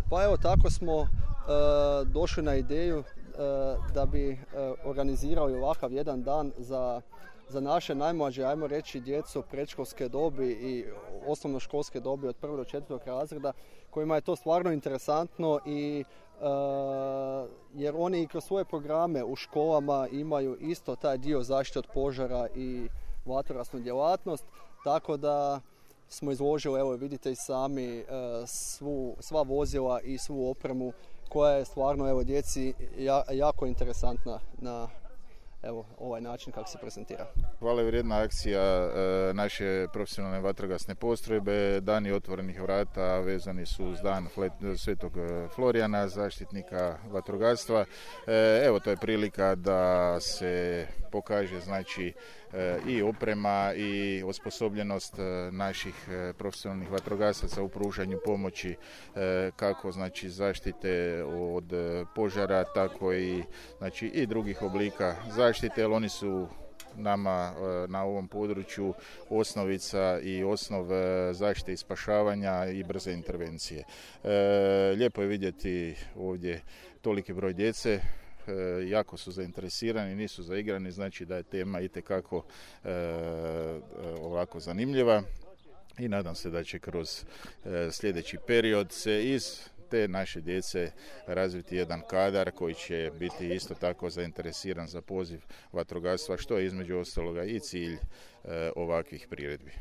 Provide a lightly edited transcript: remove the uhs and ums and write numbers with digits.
Pa evo, tako smo došli na ideju da bi organizirali ovakav jedan dan za naše najmlađe, ajmo reći, djecu predškolske dobi i osnovnoškolske dobi od 1. do 4. razreda, kojima je to stvarno interesantno i jer oni i kroz svoje programe u školama imaju isto taj dio zaštite od požara i vatrogasnu djelatnost, tako da smo izložili, evo vidite i sami, sva vozila i svu opremu koja je stvarno, evo, djeci jako interesantna na ovaj način kako se prezentira. Hvala vrijedna akcija naše profesionalne vatrogasne postrojbe. Dani otvorenih vrata vezani su uz dan Svetog Florijana, zaštitnika vatrogastva. Evo, to je prilika da se pokaže, znači, i oprema i osposobljenost naših profesionalnih vatrogasaca u pružanju pomoći, kako, znači, zaštite od požara, tako i, znači, i drugih oblika zaštite, jer oni su nama na ovom području osnovica i osnov zaštite i spašavanja i brze intervencije. Lijepo je vidjeti ovdje toliki broj djece, jako su zainteresirani, nisu zaigrani, znači da je tema itekako ovako zanimljiva i nadam se da će kroz sljedeći period se iz te naše djece razviti jedan kadar koji će biti isto tako zainteresiran za poziv vatrogastva, što je između ostaloga i cilj ovakvih priredbi.